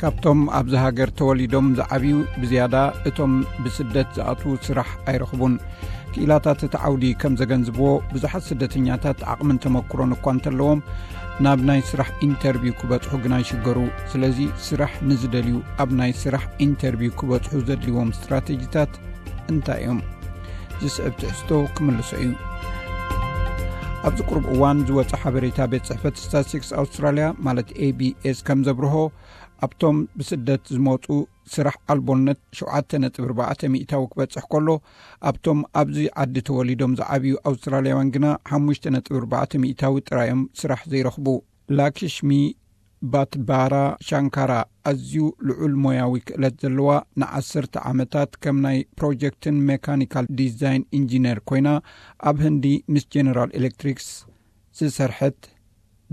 ካብቶም ኣብዚ ሃገር ተወሊዶም ዝዓብዩ ብዝያዳ እቶም ብስደት ዝኣትዉ ስራሕ ኣይረኽቡን። ክኢላታት እቲ ዓውዲ ከም ዘገንዝብዎ፣ ብዙሓት ስደተኛታት ዓቕምን ተመክሮን እኳ እንተለዎም፣ ናብ ናይ ስራሕ ኢንተርቪው ክበጽሑ ግና ይሽገሩ። ስለዚ፣ ስራሕ ንዝደልዩ ኣብ ናይ ስራሕ ኢንተርቪው ክበጽሑ ዘድልዎም ስትራቴጂታት እንታይ እዮም? ዝስዕብ ትሕዝቶ ክምልሶ እዩ። ኣብዚ ቁሩብ እዋን ዝወጸ ሓበሬታ ቤት ጽሕፈት ስታትስቲክስ ኣውስትራልያ፣ ማለት ኤ ቢ ኤስ፣ ከም ዘብርሆ፣ ኣብቶም ብስደት ዝመጹ ስራሕ ኣልቦነት ሸውዓተ ነጥቢ ኣርባዕተ ሚእታዊ ክበጽሕ ከሎ፣ ኣብቶም ኣብዚ ዓዲ ተወሊዶም ዝዓብዩ ኣውስትራልያውያን ግና ሓሙሽተ ነጥቢ ኣርባዕተ ሚእታዊ ጥራዮም ስራሕ ዘይረኽቡ። ላክሽሚ ባትባራ ሻንካራ ኣዝዩ ልዑል ሞያዊ ክእለት ዘለዋ፣ ንዓሰርተ ዓመታት ከም ናይ ፕሮጀክትን ሜካኒካል ዲዛይን ኢንጂነር ኮይና፣ ኣብ ህንዲ ምስ ጀነራል ኤሌክትሪክስ ዝሰርሐት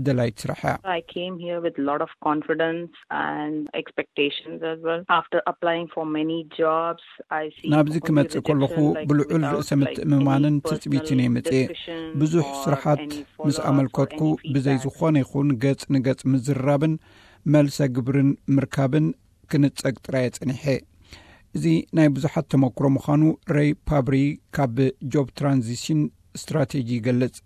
ደላይት ስራሕ እያ። I came here with a lot of confidence and expectations as well. After applying for many jobs, I see ናብዚ ክመጽእ ከለኹ ብልዑል ርእሰ ምትእምማንን ትጽቢትን እየ መጽእ። ብዙሕ ስርሓት ምስ ኣመልከትኩ፣ ብዘይ ዝኾነ ይኹን ገጽ ንገጽ ምዝርራብን መልሰ ግብርን ምርካብን ክንጸግ ጥራይ ጸኒሐ። እዚ ናይ ብዙሓት ተመክሮ ምዃኑ ሬይ ፓብሪ ካብ ጆብ ትራንዚሽን ስትራቴጂ ይገልጽ።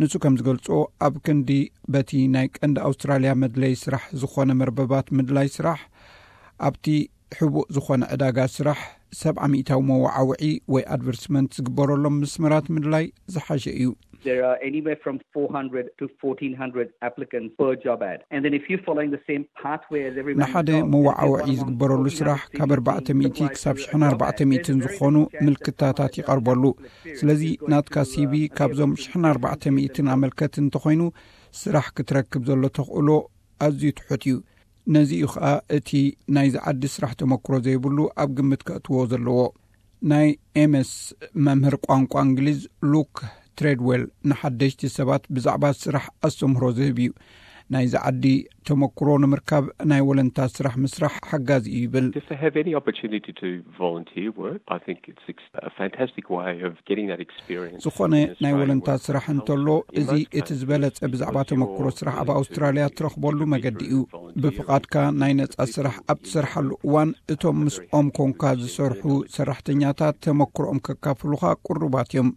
ንሱ ከም ዝገልጾ፣ ኣብ ክንዲ በቲ ናይ ቀንዲ ኣውስትራልያ መድለይ ስራሕ ዝኾነ መርበባት ምድላይ ስራሕ፣ ኣብቲ ሕቡእ ዝኾነ ዕዳጋ ስራሕ ሰብዓ ሚእታዊ መወዓውዒ ወይ ኣድቨርስመንት ዝግበረሎም መስመራት ምድላይ ዝሓሸ እዩ። There are anywhere from four hundred to fourteen hundred applicants per job ad. And then if you're following the same pathway as everybody ንሓደ else, and if you're መወዓውዒ one amongst ዝግበረሉ ስራሕ ካብ ኣርባዕተ ሚእቲ ክሳብ ሽሕን ኣርባዕተ ሚእትን ዝኾኑ ምልክታታት ይቐርበሉ። ስለዚ ናትካ ሲቪ ካብዞም ሽሕን ኣርባዕተ ሚእትን ኣመልከት እንተኾይኑ፣ ስራሕ ክትረክብ ዘሎ ተኽእሎ ኣዝዩ ትሑት እዩ። ነዚ እዩ ኸኣ እቲ ናይዚ ዓዲ ስራሕ ተመክሮ ዘይብሉ ኣብ ግምት ከእትዎ ዘለዎ። ናይ ኤምኤስ መምህር ቋንቋ እንግሊዝ ሉክ ትሬድዌል ንሓደሽቲ ሰባት ብዛዕባ ስራሕ ኣስተምህሮ ዝህብ እዩ። ናይዚ ዓዲ ተመክሮ ንምርካብ ናይ ወለንታ ስራሕ ምስራሕ ሓጋዚ እዩ ይብል። If they have any opportunity to volunteer work, I think it's ex- a fantastic way of getting that experience ዝኾነ in ናይ Australia ወለንታ work. ስራሕ እንተሎ፣ እዚ እቲ ዝበለጸ ብዛዕባ ተመክሮ ስራሕ ኣብ ኣውስትራልያ ትረኽበሉ መገዲ እዩ። ብፍቓድካ ናይ ነጻ ስራሕ ኣብ ትሰርሓሉ እዋን፣ እቶም ምስኦም ኮንካ ዝሰርሑ ሰራሕተኛታት ተመክሮኦም ከካፍሉኻ ቅሩባት እዮም።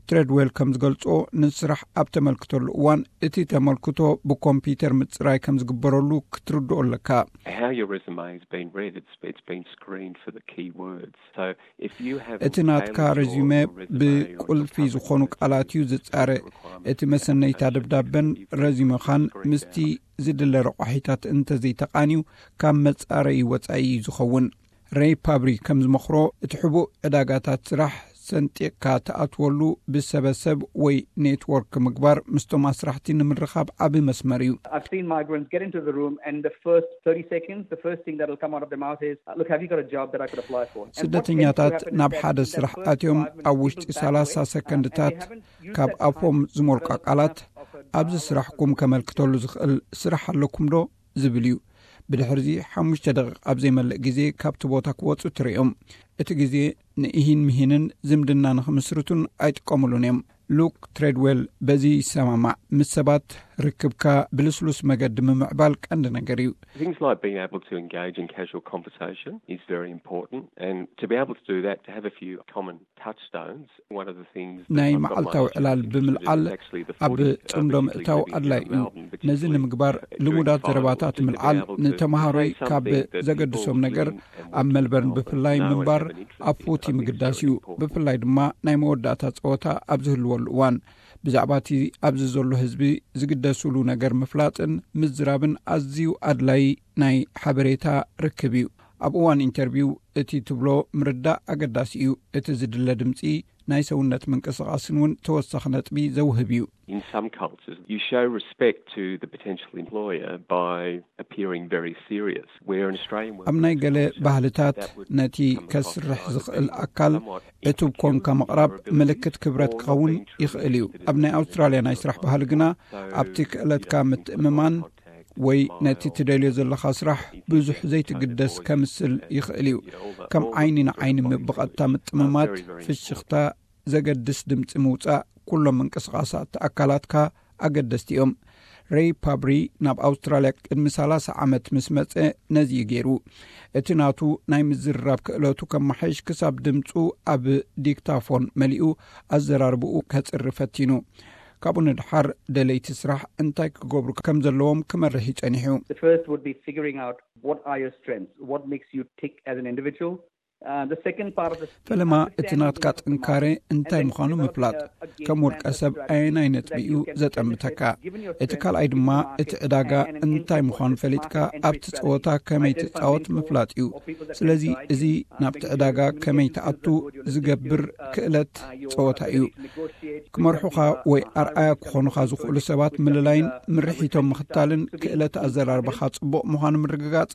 ትሬድዌል ከም ዝገልጾ፣ ንስራሕ ኣብ ተመልክተሉ እዋን፣ እቲ ተመልክቶ ብኮምፒውተር ምጽራይ ከም ዝግበረሉ ክትርድኦ ኣለካ። How your resume has been read, it's, it's been screened for the key words. So if you have እቲ ናትካ ረዚመ ብቁልፊ ዝኾኑ ቃላት እዩ ዝጻረ። እቲ መሰነይታ ደብዳበን ረዚመኻን ምስቲ ዝድለ ረቋሒታት እንተዘይተቃንዩ፣ ካብ መጻረዪ ወጻኢ እዩ ዝኸውን። ሬይ ፓብሪ ከም ዝመኽሮ፣ እቲ ሕቡእ ዕዳጋታት ስራሕ ሰንጢቕካ ትኣትወሉ ብሰበሰብ ወይ ኔትወርክ ምግባር ምስቶም ኣስራሕቲ ንምርኻብ ዓቢ መስመር እዩ። I've seen migrants get into the room, and the first thirty seconds, the first thing that'll come out of their mouth is, "Look, have you got a job that I could apply for?" And what tends to ስደተኛታት happen is ናብ that ሓደ in that ሓደ first ስራሕ five ኣትዮም፣ minutes, ኣብ ውሽጢ people back ሰላሳ away, uh, and ሰከንድታት they haven't used ካብ that time ኣፎም ዝሞልቃ to ቃላት፣ open, uh, "ኣብዚ ስራሕኩም ከመልክተሉ ዝኽእል ስራሕ ኣለኩም ዶ?" ዝብል እዩ። ብድሕርዚ ሓሙሽተ ደቂቕ ኣብ ዘይመልእ ግዜ ካብቲ ቦታ ክወጹ ትርእዮም። እቲ ግዜ ንእሂን ምሂንን ዝምድና ንኽምስርቱን ኣይጥቀሙሉን እዮም። ሉክ ትሬድዌል በዚ ይሰማማዕ። ምስ ሰባት ርክብካ ብልስሉስ መገዲ ምምዕባል ቀንዲ ነገር እዩ። Things like being able to engage in casual conversation is very important, and to be able to do that, to have a few common touchstones. One of the things that ናይ I've got my መዓልታዊ students ዕላል interested in ብምልዓል is actually the ኣብ footy, uh, ጽምዶ particularly ምእታው living here ኣድላይ in እዩ። Melbourne, ነዚ particularly ንምግባር ልሙዳት ዘረባታት ምልዓል ንተምሃሮይ ካብ ዘገድሶም ነገር፣ ኣብ ሜልበርን ብፍላይ ምንባር ኣብ ፉቲ ምግዳስ እዩ። ብፍላይ ድማ ናይ መወዳእታ ጸወታ ኣብ ዝህልወሉ እዋን፣ ብዛዕባ እቲ ኣብዚ ዘሎ ህዝቢ ዝግደስሉ ነገር ምፍላጥን ምዝራብን ኣዝዩ ኣድላይ ናይ ሓበሬታ ርክብ እዩ። ኣብ እዋን ኢንተርቪው እቲ ትብሎ ምርዳእ ኣገዳሲ እዩ። እቲ ዝድለ ድምጺ ናይ ሰውነት ምንቅስቓስን እውን ተወሳኺ ነጥቢ ዘውህብ እዩ። In some cultures, you show respect to the potential employer by appearing very serious, where in Australian work ኣብ ናይ ገለ ባህልታት ነቲ ከስርሕ ዝኽእል ኣካል ዕቱብ ኮንካ ምቕራብ ምልክት ክብረት ክኸውን ይኽእል እዩ። ኣብ ናይ ኣውስትራልያ ናይ ስራሕ ባህሊ ግና፣ ኣብቲ ክእለትካ ምትእምማን ወይ ነቲ ትደልዮ ዘለኻ ስራሕ ብዙሕ ዘይትግደስ ከምስል ይኽእል እዩ። ከም ዓይኒ ንዓይኒ ብቐጥታ ምጥምማት፣ ፍሽኽታ፣ ዘገድስ ድምጺ ምውጻእ፣ ኩሎም ምንቅስቓሳት ኣካላትካ ኣገደስቲ እዮም። ሬይ ፓብሪ ናብ ኣውስትራልያ ቅድሚ ሰላሳ ዓመት ምስ መጸ ነዚ እዩ ገይሩ። እቲ ናቱ ናይ ምዝርራብ ክእለቱ ከመሓይሽ ክሳብ ድምጹ ኣብ ዲክታፎን መሊኡ ኣዘራርብኡ ከጽሪ ፈቲኑ። ካብኡ ንድሓር ደለይቲ ስራሕ እንታይ ክገብሩ ከም ዘለዎም ክመርሕ እዩ ጸኒሑ። The first would be figuring out what are your strengths, what makes you tick as an individual. Uh, the second part of the ፈለማ እቲ ናትካ ጥንካሬ እንታይ ምዃኑ ምፍላጥ፣ ከም ውልቀ ሰብ ኣየናይ ነጥቢ እዩ ዘጠምተካ። እቲ ካልኣይ ድማ እቲ ዕዳጋ እንታይ ምዃኑ ፈሊጥካ ኣብቲ ጸወታ ከመይ ትጻወት ምፍላጥ እዩ። ስለዚ እዚ ናብቲ ዕዳጋ ከመይ ትኣቱ ዝገብር ክእለት ጸወታ እዩ። ክመርሑኻ ወይ ኣርኣያ ክኾኑኻ ዝኽእሉ ሰባት ምልላይን ምርሒቶም ምኽታልን ክእለት ኣዘራርባኻ ጽቡቕ ምዃኑ ምርግጋጽ፣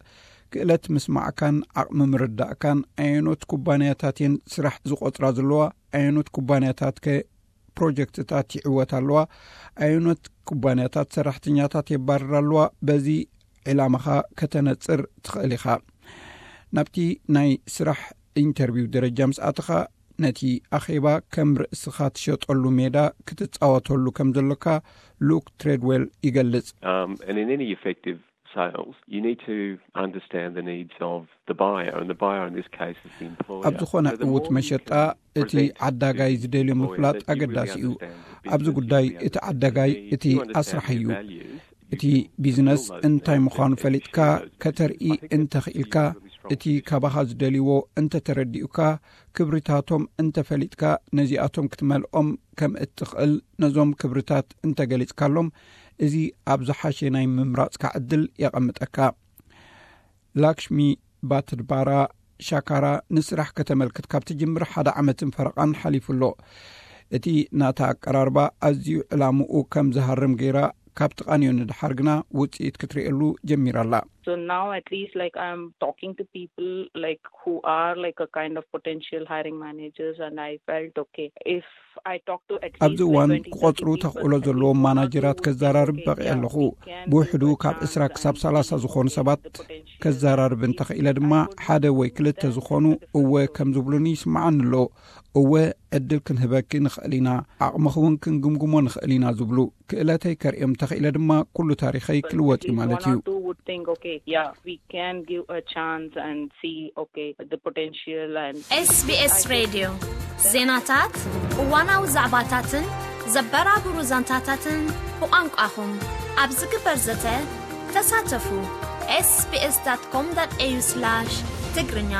ክእለት ምስማዕካን ዓቕሚ ምርዳእካን፣ ኣየኖት ኩባንያታት እየን ስራሕ ዝቖጽራ ዘለዋ፣ ኣየኖት ኩባንያታት ከ ፕሮጀክትታት ይዕወት ኣለዋ፣ ኣየኖት ኩባንያታት ሰራሕተኛታት የባርራ ኣለዋ፣ በዚ ዕላማኻ ከተነጽር ትኽእል ኢኻ። ናብቲ ናይ ስራሕ ኢንተርቪው ደረጃ ምስ ኣተኻ፣ ነቲ ኣኼባ ከም ርእስኻ ትሸጠሉ ሜዳ ክትጻወተሉ ከም ዘሎካ ሉክ ትሬድዌል ይገልጽ። Um, and in any effective sales, you need to understand the needs of the buyer, and the buyer in this case is the employer. ኣብ ዝኾነ ዕዉት መሸጣ እቲ ዓዳጋይ ዝደልዮ ምፍላጥ ኣገዳሲ እዩ። ኣብዚ ጉዳይ እቲ ዓዳጋይ እቲ ኣስራሕ እዩ። እቲ ቢዝነስ እንታይ ምዃኑ ፈሊጥካ ከተርኢ እንተኽኢልካ፣ እቲ ካባኻ ዝደልይዎ እንተተረዲኡካ፣ ክብሪታቶም እንተፈሊጥካ፣ ነዚኣቶም ክትመልኦም ከም እትኽእል ነዞም ክብሪታት እንተገሊጽካሎም፣ እዚ ኣብ ዝሓሸ ናይ ምምራጽካ ዕድል የቐምጠካ። ላክሽሚ ባትድባራ ሻካራ ንስራሕ ከተመልክት ካብ ትጅምር ሓደ ዓመትን ፈረቓን ሓሊፉ ኣሎ። እቲ ናታ ኣቀራርባ ኣዝዩ ዕላምኡ ከም ዝሃርም ገይራ ካብ ትቓንዮ ንድሓር ግና ውጽኢት ክትርእየሉ ጀሚራ ኣላ። So now at least like I'm talking to people like who are like a kind of potential hiring managers, and I felt okay if I talk to at least ኣብዚ እዋን ክቆጽሩ ተኽእሎ ዘለዎም ማናጀራት ከዘራርብ በቒዐ ኣለኹ። ብውሕዱ ካብ ዕስራ ክሳብ ሰላሳ ዝኾኑ ሰባት ከዘራርብ እንተኽኢለ ድማ፣ ሓደ ወይ ክልተ ዝኾኑ እወ ከም ዝብሉኒ ይስምዓኒ ኣሎ። እወ ዕድል ክንህበኪ ንኽእል ኢና፣ ዓቕምኺ እውን ክንግምግሞ ንኽእል ኢና ዝብሉ፣ ክእለተይ ከርእዮም እንተኽኢለ ድማ ኩሉ ታሪኸይ ክልወጥ እዩ ማለት እዩ። Two would think, okay, yeah, we can give a chance and see, okay, the potential and SBS ሬድዮ ዜናታት፣ እዋናዊ ዛዕባታትን ዘበራብሩ ዛንታታትን ብቋንቋኹም ኣብ ዝግበር ዘተ ተሳተፉ። sbs.com.au/ትግርኛ